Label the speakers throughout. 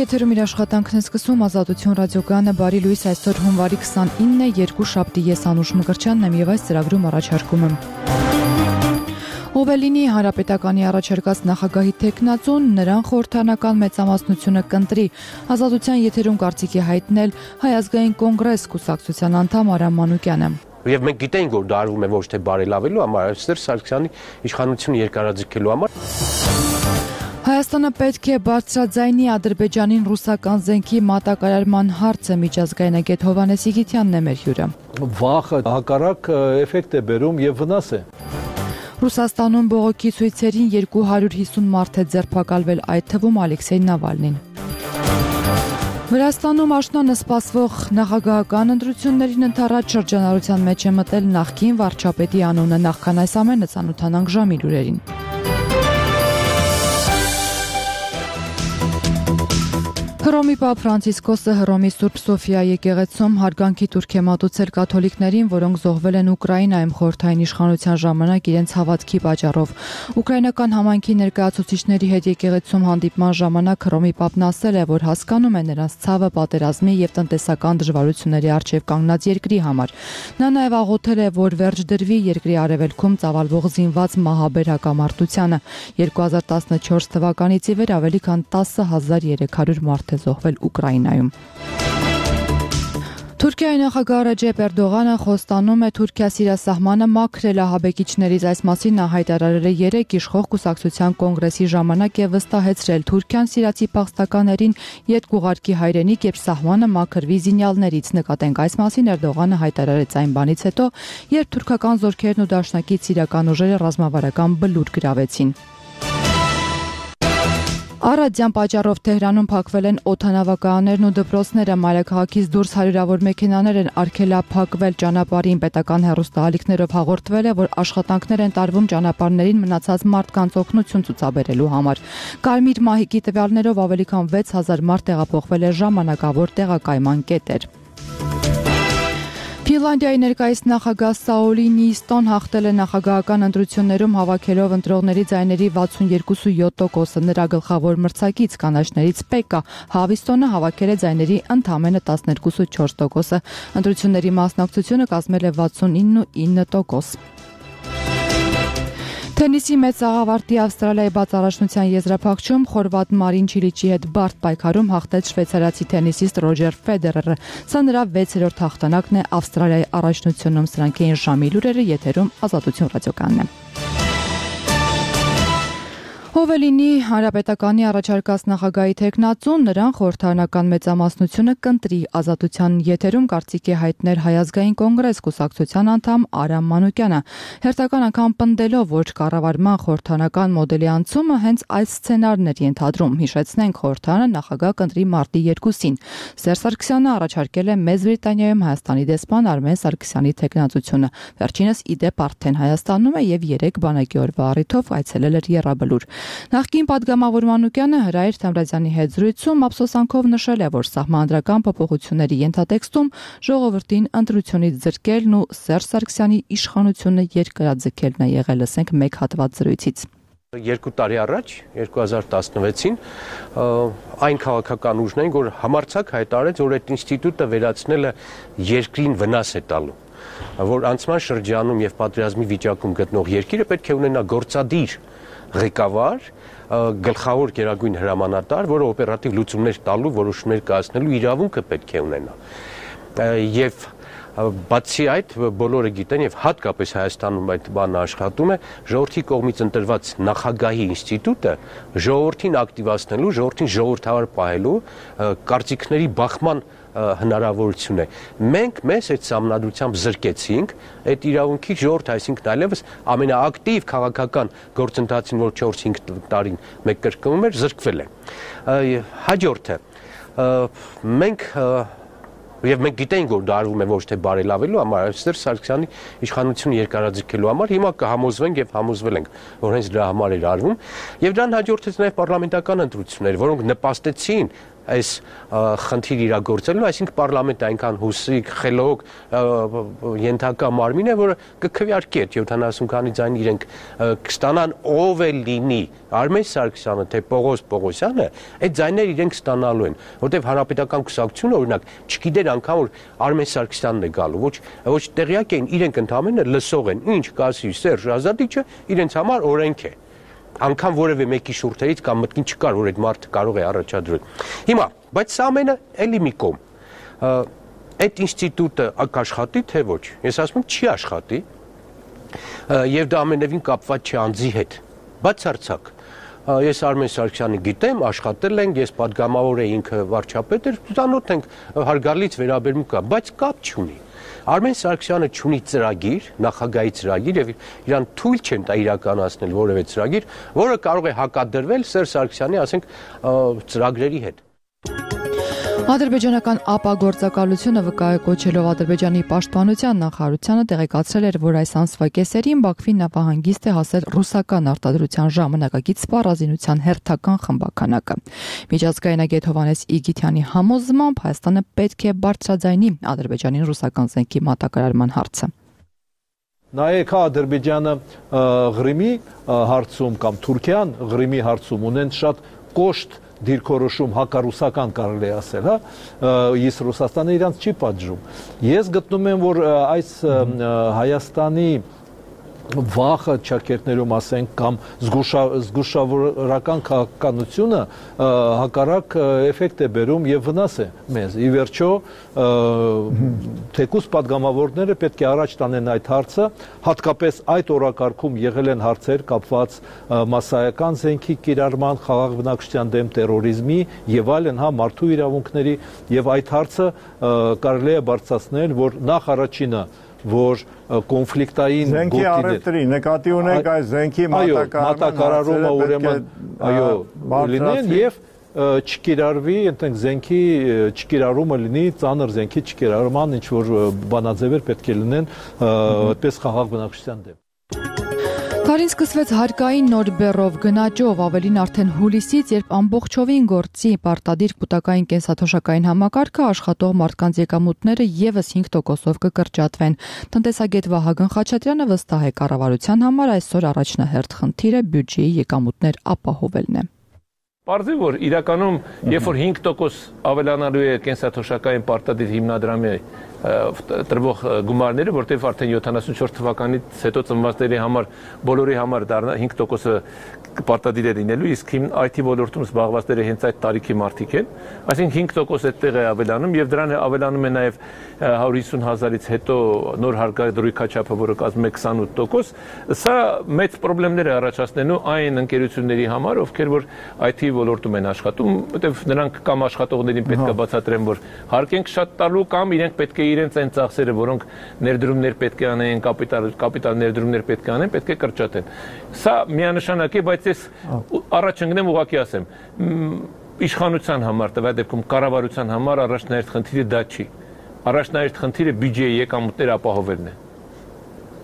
Speaker 1: եթերում իր աշխատանքն է սկսում Ազատություն ռադիոգանը, բարի լույս, այսօր հունվարի 29 է, երկուշաբթի, ես Անուշ Մկրտչյանն եմ եւ այս ծրագրում առաջարկում եմ ով է լինի Հանրապետականի առաջարկած նախագահի թեկնածուն, նրան խորհրդարանական մեծամասնությունը կընտրի։ Ազատության եթերում կարծիքի հայտնել Հայ ազգային կոնգրես կուսակցության անդամ Արամ Մանուկյանը։
Speaker 2: Եվ մենք գիտենք, որ դա արվում է ոչ թե բարելավելու համար, այլ Սերժ Սարգսյանի իշխանությունը երկարաձգելու համար։
Speaker 1: Հայաստանը պետք է բարձրաձայնի Ադրբեջանին ռուսական զենքի մատակարարման հարցը, միջազգային agent Հովհաննես Իգիթյանն է մեր հյուրը։
Speaker 3: Վախը հակառակ էֆեկտ է բերում եւ վնաս է։
Speaker 1: Ռուսաստանում բողոքի ցույցերին 250 մարդ է ձերբակալվել, այդ թվում Ալեքսեյ Նավալնին։ Վրաստանում աշնանը սպասվող նախագահական ընտրություններին ընդառաջ շրջանառության մեջ է մտել նախկին վարչապետի անունը, նախքան այս ամենը ծանոթանանք ժամի լուրերին։ Հռոմի Պապ Ֆրանցիսկոսը Հռոմի Սուրբ Սոֆիա եկեղեցում հարգանքի տուրք է մատուցել կաթոլիկներին, որոնք զոհվել են Ուկրաինայում խորհրդային իշխանության ժամանակ իրենց հավատքի պատճառով։ Ուկրաինական համայնքի ներկայացուցիչների հետ եկեղեցում հանդիպման ժամանակ Հռոմի Պապն ասել է, որ հասկանում է նրանց ցավը պատերազմի եւ տնտեսական դժվարությունների առջեւ կանգնած երկրի համար։ Նա նաեւ աղոթել է, որ վերջ դրվի երկրի արևելքում ծավալվող զինված մահաբեր հակամարտությանը։ 2014 թվականից ի վեր ավելի քան 10,300 մարդ է զոհվել Ուկրաինայում։ Թուրքիայի նախագահ Ռեջեփ Էրդողանը խոստանում է Թուրքիա սիրասահմանը մաքրել ահաբեկիչներից, այս մասին նա հայտարարել է 3 իշխող կուսակցության կոնգրեսի ժամանակ եւ վստահեցրել Թուրքիան սիրացի փախստականներին ետկուղարկի հայրենիք, երբ սահմանը մաքրվի զինյալներից։ Նկատենք այս մասին Էրդողանը հայտարարեց այն բանից հետո, երբ թուրքական զորքերն ու դաշնակից սիրական ուժերը ռազմավարական բլուր գրավեցին։ Առադյան պատճառով Թեհրանում փակվել են օդանավակայաններն ու դպրոցները, մայրաքաղաքից դուրս հարյուրավոր մեքենաներ են արգելափակվել ճանապարհին, պետական հեռուստաալիքներով հաղորդվել է, որ աշխատանքներ են տարվում ճանապարհներին մնացած մարդկանց օգնություն ցուցաբերելու համար։ Կարմիր մահիկի տվյալներով ավելի քան 6000 մարդ տեղափոխվել է ժամանակավոր տեղակայման կետեր։ Ֆինլանդիայի ներկայիս նախագահ Սաուլի Նիիստոն հաղթել է նախագահական ընտրություններում հավաքելով ընտրողների ձայների 62.7%-ը, նրա գլխավոր մրցակից կանաչներից Պեկկա Հավիստոնը հավաքել է ձայների ընդամենը 12.4%-ը, ընտրությունների մասնակցությունը կազմել է 69.9%։ Թենիսի մեծ աղավարտի Ավստրալիայի բաց առաջնության եզրափակչում խորվատ Մարին Չիլիչի հետ բարդ պայքարում հաղթեց շվեյցարացի թենիսիստ Ռոջեր Ֆեդերերը։ Սա նրա 6-րդ հաղթանակն է Ավստրալիայի առաջնությունում։ Սրանք էին ժամի լուրերը, եթերում Ազատություն ռադիոգանն է։ Ով է լինի Հանրապետականի առաջարկած նախագահի թեկնածուն, նրան խորհրդարանական մեծամասնությունը կընտրի։ Ազատության եթերում կարծիք է հայտնել Հայ ազգային կոնգրես կուսակցության անդամ Արամ Մանուկյանը, հերթական անգամ պնդելով, որ կառավարման խորհրդարանական մոդելի անցումը հենց այս սցենարն էր ենթադրում։ Հիշեցնենք, խորհրդարանը նախագահ կընտրի մարտի 2-ին։ Սերժ Սարգսյանը առաջարկել է Մեծ Բրիտանիայում Հայաստանի դեսպան Արմեն Սարգսյանի թեկնածությունը։ Վերջինս ի դեպ արդեն Հայաստանում է եւ 3 բանակի օրվա առիթով այցելել էր Եռաբլուր։ Նախկին պատգամավոր Մանուկյանը Հրայր Թեմրազյանի հետ զրույցում ափսոսանքով նշել է, որ սահմանադրական փոփոխությունների ենթատեքստում ժողովրդին ընտրությունից զրկելն ու Սերժ Սարգսյանի իշխանությունը երկարաձգելն է եղել, լսենք մեկ հատված զրույցից։
Speaker 2: 2 տարի առաջ 2016-ին այն քաղաքական ուժն էին, որ համարձակ հայտարարեց, որ այդ ինստիտուտը վերացնելը երկրին վնաս է տալու, որ անցման շրջանում եւ պատերազմի վիճակում գտնող երկիրը պետք է ունենա գործադիր ղեկավար, գլխավոր գերագույն հրամանատար, որը օպերատիվ լուծումներ տալու, որոշումներ կայացնելու իրավունքը պետք է ունենա։ Եվ բացի այդ, բոլորը գիտեն եւ հատկապես Հայաստանում այդ բանը աշխատում է, ժողովրդի կողմից ընտրված նախագահի ինստիտուտը ժողովրդին ակտիվացնելու, ժողովրդին ժողովրդավար պահելու, կարծիքների բախման հնարավորություն է։ Մենք մեզ այդ սահմանադրությամբ զրկեցինք այդ իրավունքի ժողովուրդը, այսինքն այլևս ամենաակտիվ քաղաքական գործընթացին, որ 4-5 տարին մեկ կրկնում էր, զրկվել է։ Հաջորդը մենք գիտենք, որ դա արվում է ոչ թե բարելավելու համար, այլ Սերժ Սարգսյանի իշխանությունը երկարաձգելու համար, հիմա կհամոզվենք եւ համոզվել ենք, որ հենց դրա համար էր արվում, եւ դրան հաջորդեց նաեւ պարլամենտական ընտրություններ, որոնք նպաստեցին այս խնդիր իրագործելու, այսինքն պարլամենտը այնքան հուսիկ, խելոք, ենթակա մարմին է, որը կքվեարկի այդ 70 քանի ձայն իրենք կստանան ով է լինի, Արմեն Սարգսյանը թե Պողոս Պողոսյանը, այդ ձայները իրենք ստանալու են, որտեղ Հանրապետական կուսակցությունը օրինակ չգիտեր անգամ որ Արմեն Սարգսյանն է գալու, ոչ տեղյակ էին, իրենք ընդհանրապես լսող են, ինչ կասի Սերժ Ազատիչը, իրենց համար օրենք է։ Անգամ որևէ մեկի շուրթերից կամ մտքին չկար, որ այդ մարդը կարող է առաջադրել։ Հիմա, բայց սա ամենը էլի մի կողմ։ Այդ ինստիտուտը կաշխատի թե ոչ։ Ես ասում եմ, չի աշխատի։ Եվ դա ամենևին կապված չի անձի հետ։ Բացարձակ։ Ես Արմեն Սարգսյանի գիտեմ, աշխատել ենք, ես պատգամավոր եմ, ինքը վարչապետ էր, ծանոթ ենք, հարգալից վերաբերմունք կա, բայց կապ չունի։ Արմեն Սարգսյանը չունի ծրագիր, նախագահի ծրագիր եւ իրան թույլ չեն տա իրականացնել որևէ ծրագիր, որը կարող է հակադրվել Սերժ Սարգսյանի, ասենք, ծրագրերի հետ։
Speaker 1: Ադրբեջանական ԱՊԱ գործակալությունը վկայակոչելով Ադրբեջանի պաշտպանության նախարարությանը տեղեկացրել էր, որ այս ամսվա կեսերին Բաքվի նավահանգիստ է հասել ռուսական արտադրության ժամանակակից սպառազինության հերթական խմբականակը։ Միջազգային agent Հովհաննես Իգիթյանի համոզմամբ Հայաստանը պետք է բարձրաձայնի Ադրբեջանի ռուսական զենքի մատակարարման հարցը։
Speaker 3: Նայեք Ադրբեջանը Ղրիմի հարցում կամ Թուրքիան Ղրիմի հարցում ունեն շատ կոշտ դիրքորոշում հակառուսական կարելի է ասել, հա, իսկ Ռուսաստանը իրանց չի պատժում։ Ես գտնում եմ, որ այս Հայաստանի վախը ճակերտներում ասենք կամ զգուշավորական քաղաքականությունը հակառակ էֆեկտ է բերում եւ վնաս է մեզ։ Ի վերջո թեկուզ падգամավորները պետք է առաջ տանեն այդ հարցը, հատկապես այդ օրակարգում եղել են հարցեր կապված մասսայական զենքի կիրառման, խաղաղ բնակչության դեմ տերորիզմի եւ այլն, հա, մարդու իրավունքների եւ այդ հարցը կարելի է բարձրացնել, որ նախ առաջինը որ կոնֆլիկտային
Speaker 4: զենքի առևտրի նկատի ունենք այս զենքի
Speaker 3: մատակարարումը ուրեմն այո լինեն եւ չկիրառվի այնտեղ զենքի չկիրառումը լինի ծանր զենքի չկիրառման ինչ որ բանաձևեր պետք է լինեն այդպես խաղաղ բնակչության դեմ։
Speaker 1: Քարին սկսվեց հարկային նոր բեռով գնաճով, ավելին արդեն հուլիսից, երբ ամբողջովին գործի պարտադիր կուտակային կենսաթոշակային համակարգը աշխատող մարդկանց եկամուտները եւս 5%-ով կկրճատվեն։ Տնտեսագետ Վահագն Խաչատրյանը վստահ է կառավարության համար այսօր առաջնահերթ խնդիրը բյուջեի եկամուտներ ապահովելն է։
Speaker 5: Պարզի որ իրականում երբ որ 5% ավելանալու է կենսաթոշակային պարտադիր հիմնադրամի տրվող գումարները, որտեղ արդեն 74 թվականից հետո ծնվածների համար բոլորի համար դառնա 5%-ը պարտադիր է լինելու, իսկ IT ոլորտում զբաղվածները հենց այդ տարիքի մարդիկ են, այսինքն 5% այդտեղ է ավելանում եւ դրան ավելանում է նաեւ 150,000-ից հետո նոր հարկադրույքաչափը, որը կազմում է 28%, սա մեծ խնդիրներ է առաջացնելու այն ընկերությունների համար, ովքեր որ IT ոլորտում են աշխատում, որտեղ նրանք կամ աշխատողներին պետք է բացատրեն, որ հարկ ենք շատ տալու կամ իրենք պետք է իրենց այն ծախսերը, որոնք ներդրումներ պետք է անեն, կապիտալ ներդրումներ պետք է անեն, պետք է կրճատեն։ Սա միանշանակ է, բայց ես առաջ ընկնեմ ուղղակի ասեմ, իշխանության համար, տվյալ դեպքում կառավարության համար առաջնահերթ խնդիրը դա չի։ Առաջնահերթ խնդիրը բյուջեի եկամուտներ ապահովելն է։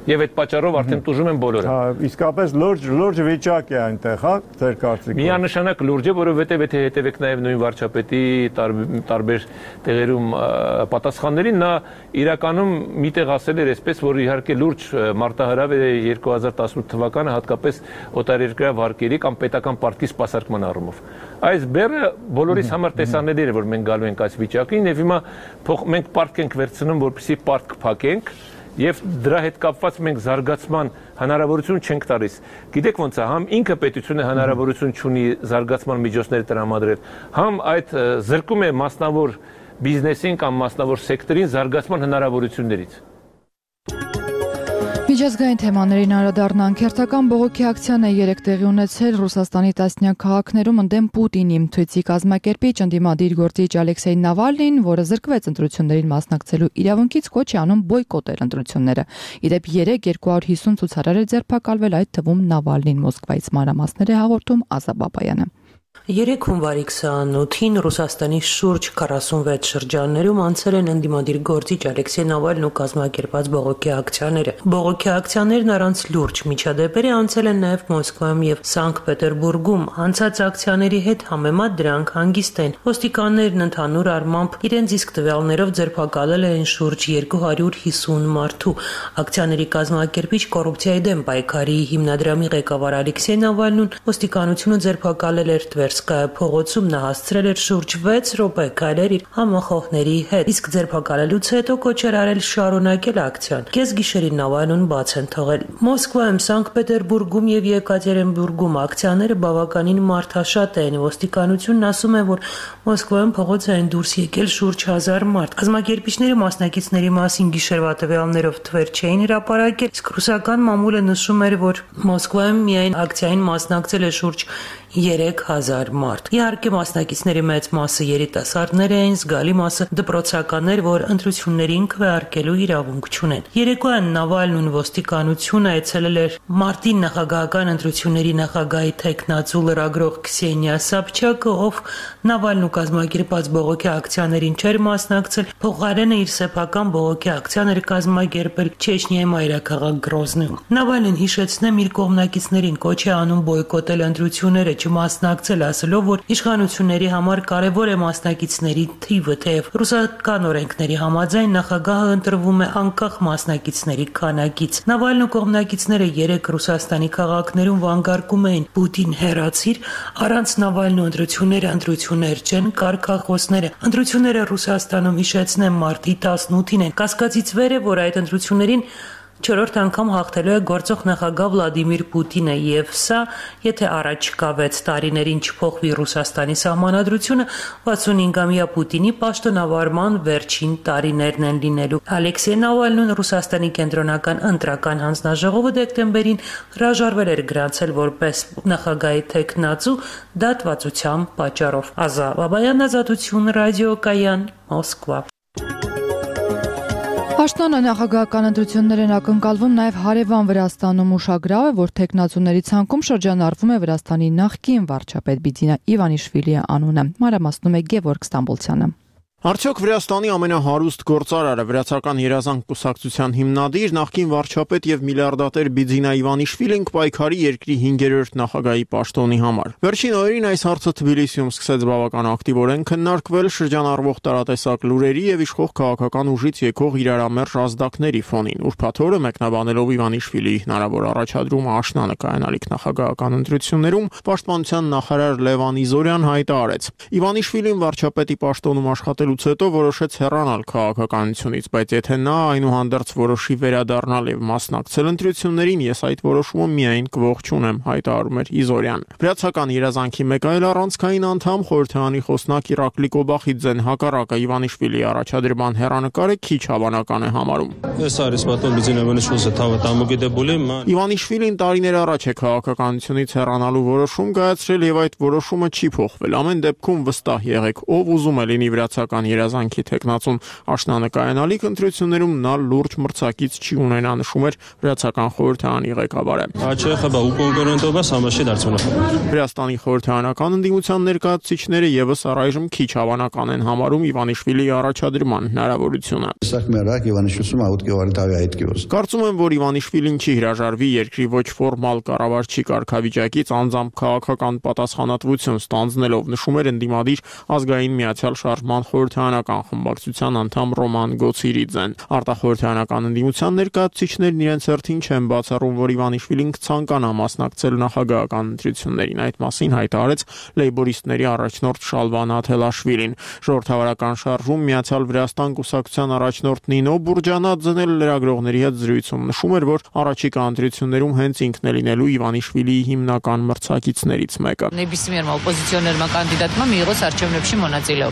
Speaker 5: Եվ այդ պատճառով արդեն տուժում են բոլորը։
Speaker 4: Հա, իսկապես լուրջ վիճակ է այնտեղ, հա, ձեր կարծիքով։
Speaker 5: Միանշանակ լուրջ է, որովհետև եթե հետևեք նաև նույն վարչապետի տարբեր տեղերում պատասխաններին, նա իրականում միտեղ ասել էր այսպես, որ իհարկե լուրջ մարտահրավ է 2018 թվականը, հատկապես օտարերկրյա վարկերի կամ պետական պարտքի սպասարկման առումով։ Այս բեռը բոլորիս համար տեսանելի է, որ մենք գալու ենք այս վիճակին, եւ հիմա մենք պարտք ենք վերցնում, որպեսզի պարտք փակենք։ Եվ դրա հետ կապված մենք զարգացման հնարավորություն չենք տալիս։ Գիտեք ոնց է, համ ինքը պետությունը հնարավորություն չունի զարգացման միջոցներ տրամադրել, համ այդ զրկում է մասնավոր բիզնեսին կամ մասնավոր սեկտորին զարգացման հնարավորություններից։
Speaker 1: Միջազգային թեմաներին անդրադառնանք, հերթական բողոքի ակցիան է երեկ տեղի ունեցել Ռուսաստանի տասնյակ քաղաքներում ընդդեմ Պուտինի։ Ցույցի կազմակերպիչ ընդդիմադիր գործիչ Ալեքսեյ Նավալնին, որը զրկվեց ընտրություններին մասնակցելու իրավունքից, կոչ է անում բոյկոտել ընտրությունները։ Իդեպ երեկ 250 ցուցարար է ձերբակալվել, այդ թվում Նավալնին Մոսկվայից մանրամասներ է հաղորդում Ազա Բաբայանը։
Speaker 6: 3 հունվարի 28-ին Ռուսաստանի շուրջ 46 շրջաններում անցել են ընդդիմադիր գործիչ Ալեքսեյ Նավալնու կազմակերպած բողոքի ակցիաները։ Բողոքի ակցիաներն առանց լուրջ միջադեպերի անցել են նաև Մոսկվայում եւ Սանկտ Պետերբուրգում։ Անցած ակցիաների հետ համեմատ դրանք հանգիստ են։ Ոստիկաններն ընդհանուր առմամբ իրենց իսկ տվյալներով ձերբակալել են շուրջ 250 մարդու։ Ակցիաների կազմակերպիչ կոռուպցիայի դեմ պայքարի հիմնադրամի ղեկավար Ալեքսեյ Նավալնուն ոստիկանությունը ձերբակալել էր Տվերսկայա փողոցում, նա հասցրել էր շուրջ 6 րոպե քայլել իր համախոհների հետ, իսկ ձերբակալելուց հետո կոչ էր արել շարունակել ակցիան։ Կեսգիշերին Նավալնուն բաց են թողել։ Մոսկվայում, Սանկտ Պետերբուրգում եւ Եկատերինբուրգում ակցիաները բավականին մարդաշատ են։ Ոստիկանությունն ասում է, որ Մոսկվայում փողոց են դուրս եկել շուրջ 1000 մարդ։ Կազմակերպիչները մասնակիցների մասին գիշերվա տվյալներով թվեր չէին հրապարակել, իսկ ռուսական մամուլը նշում էր, որ Մոսկվայում միայն ակցիային մասնակցել է շուրջ 3000 մարդ։ Իհարկե մասնակիցների մեծ մասը երիտասարդներ էին, զգալի մասը դպրոցականներ, որ ընտրություններին քվեարկելու իրավունք չունեն։ Երեկոյան Նավալնուն ոստիկանությունը այցելել էր մարտին նախագահական ընտրությունների նախագահի թեկնածու լրագրող Քսենիա Սաբչակը, ով Նավալնու կազմակերպած բողոքի ակցիաներին չէր մասնակցել, փոխարենը իր սեփական բողոքի ակցիաներ կազմակերպել Չեչնիայի մայրաքաղաք Գրոզնիում։ Նավալնին հիշեցնեմ իր կողմնակիցներին կոչ է անում բոյկոտել ընտրությունները, չմասնակցել, ասելով, որ իշխանությունների համար կարևոր է մասնակիցների թիվը, թեև ռուսական օրենքների համաձայն նախագահը ընտրվում է անկախ մասնակիցների քանակից։ Նավալնու կողմնակիցները 3 Ռուսաստանի քաղաքներում վանկարկում էին Պուտին հեռացիր, առանց Նավալնու ընտրություններ չեն, կարգախոսները։ Ընտրությունները Ռուսաստանում հիշեցնեմ մարտի 18-ին են։ Կասկածից վեր է, որ այդ ընտրություններին 4-րդ անգամ հաղթելու է գործող նախագահ Վլադիմիր Պուտինը, եւ սա, եթե առաջիկա 6 տարիներին չփոխվի Ռուսաստանի սահմանադրությունը, 65-ամյա Պուտինի պաշտոնավարման վերջին տարիներն են լինելու։ Ալեքսեյ Նավալնուն Ռուսաստանի կենտրոնական ընտրական հանձնաժողովը դեկտեմբերին հրաժարվել էր գրանցել որպես նախագահի թեկնածու դատվածության պատճառով։ Ազա Բաբայան, Ազատություն, ռադիոկայան, Մոսկվա։
Speaker 1: Պաշտոնը նախագահական ընտրություններ են ակնկալվում նաև հարևան Վրաստանում ուշագրավ է, որ թեկնածուների ցանկում շրջանառվում է Վրաստանի նախկին վարչապետ Բիձինա Իվանիշվիլիի անունը։ Մանրամասնում է Գևորգ Ստամբոլցյանը։
Speaker 7: Արդյոք Վրաստանի ամենահարուստ գործարարը Վրացական երազանք կուսակցության հիմնադիր նախկին վարչապետ եւ միլիարդատեր Բիձինա Իվանիշվիլին կպայքարի երկրի 5-րդ նախագահի պաշտոնի համար։ Վերջին օրերին այս հարցը Թբիլիսիում սկսեց բավական ակտիվորեն քննարկվել շրջանառվող տարատեսակ լուրերի եւ իշխող քաղաքական ուժից եկող իրարամերժ ազդակների ֆոնին։ Ուրբաթ օրը մեկնաբանելով Իվանիշվիլիի հնարավոր առաջադրումը աշնանը կայանալիք նախագահական ընտրություններում, պաշտպանության նախարար Լևան Իզորյան հայտարարեց. Իվանիշվիլին վարչապետի պաշտոնում աշխատել հետո որոշեց հեռանալ քաղաքականությունից, բայց եթե նա այնուհանդերձ որոշի վերադառնալ եւ մասնակցել ընտրություններին, ես այդ որոշումը միայն կողջունեմ, հայտարարում էր Իզորյան։ Վրացական երազանքի մեկ այլ առանցքային անդամ խորհրդարանի խոսնակ Իրակլի Կոբախիձեն հակառակը Իվանիշվիլիի առաջադրման հեռանկարը քիչ հավանական է համարում։ Իվանիշվիլին տարիներ առաջ է քաղաքականությունից հեռանալու որոշում կայացրել եւ այդ որոշումը չի փոխվել։ Ամեն դեպքում վստահ եղեք, ով ուզում է լինի վրացական երազանքի տեխնացուն աշնանկայանալիք ընտրություններում նա լուրջ մրցակից չի ունենա, նշում էր Վրացական խորհրդարանի ղեկավարը։ Վրաստանի խորհրդարանական ընդդիմության ներկայացուցիչները եւս առայժմ քիչ հավանական են համարում Իվանիշվիլիի առաջադրման հնարավորությունը։ Կարծում եմ, որ Իվանիշվիլին չի հրաժարվի երկրի ոչ ֆորմալ կառավարչի կարգավիճակից անձամբ քաղաքական պատասխանատվություն ստանձնելով, նշում էր ընդդիմադիր ազգային միացյալ շարժման խորհրդարանական խմբակցության անդամ Ռոման Գոցիրիձեն։ Արտախորհրդարանական ընդդիմության ներկայացուցիչներն իրենց հերթին չեն բացառում, որ Իվանիշվիլին կցանկանա մասնակցել նախագահական ընտրություններին։ Այդ մասին հայտարարեց լեյբորիստների առաջնորդ Շալվան Աթելաշվիլին։ Ժողովրդավարական շարժում Միացյալ Վրաստան կուսակցության առաջնորդ Նինո Բուրջանաձեն լրագրողների հետ զրույցում նշում էր, որ առաջիկա ընտրություններում հենց ինքն է լինելու Իվանիշվիլիի հիմնական մրցակիցներից մեկը։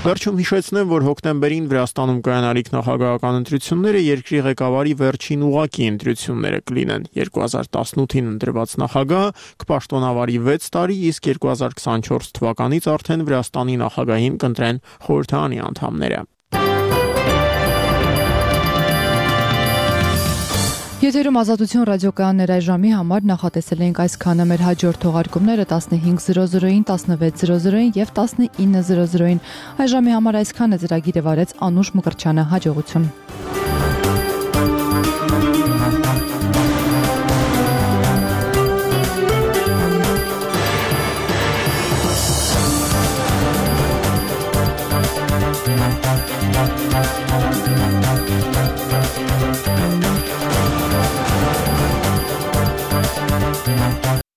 Speaker 7: Վերջում հիշեցնեմ, որ հոկտեմբերին Վրաստանում կայանալիք նախագահական ընտրությունները երկրի ղեկավարի վերջին ուղղակի ընտրությունները կլինեն։ 2018-ին ընտրված նախագահը կպաշտոնավարի 6 տարի, իսկ 2024 թվականից արդեն Վրաստանի նախագահին կընտրեն խորհրդարանի անդամները։
Speaker 1: Եթերում Ազատություն ռադիոկայաններ այժմի համար նախատեսել ենք այսքանը, մեր հաջորդ թողարկումները 15:00-ին, 16:00-ին եւ 19:00-ին։ Այժմի համար այսքանը ծրագիրը վարեց Անուշ Մկրտչյանը, հաջողություն։